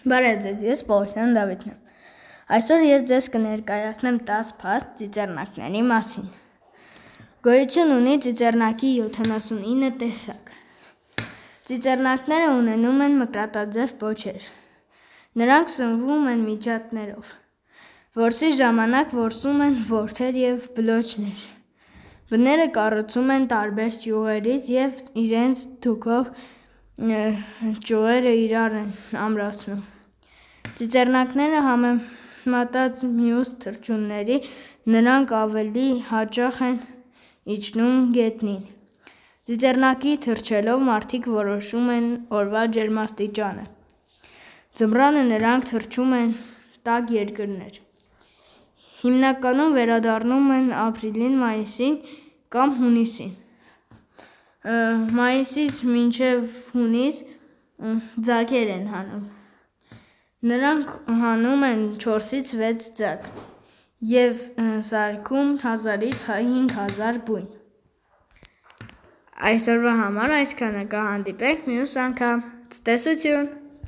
Բարև ձեզ, ես Պողոսյան Դավիթն եմ։ Այսօր ես ձեզ կներկայացնեմ 10 փաստ ծիծեռնակների մասին։ Գոյություն ունի ծիծեռնակի 79 տեսակ։ Ծիծեռնակները ունենում են մկրատաձև պոչեր։ Նրանք սնվում են միջատներով։ Որսի ժամանակ որսում են որդեր և բլոչներ։ Բները կառուցում են տարբեր ճյուղերից և իրենց թուքով ճյուղերը իրար են ամրացնում։ Ծիծեռնակները համեմատած մյուս թռչունների նրանք ավելի հաճախ են իջնում գետնին։ Ծիծեռնակի թռչելով մարդիկ որոշում են օրվա ջերմաստիճանը։ Ձմռանը նրանք թռչում են տաք երկրներ։ Հիմնականում վերադառնում են ապրիլին, մայիսին կամ հունիսին։ Մայիսից մինչև հունիս ձագեր են հանում։ Նրանք հանում են 4-ից 6 ձագ և սարքում 1000-ից 5000 բույն։ Այսօրվա համար այսքանը, կհանդիպենք մյուս անգամ, ցտեսություն։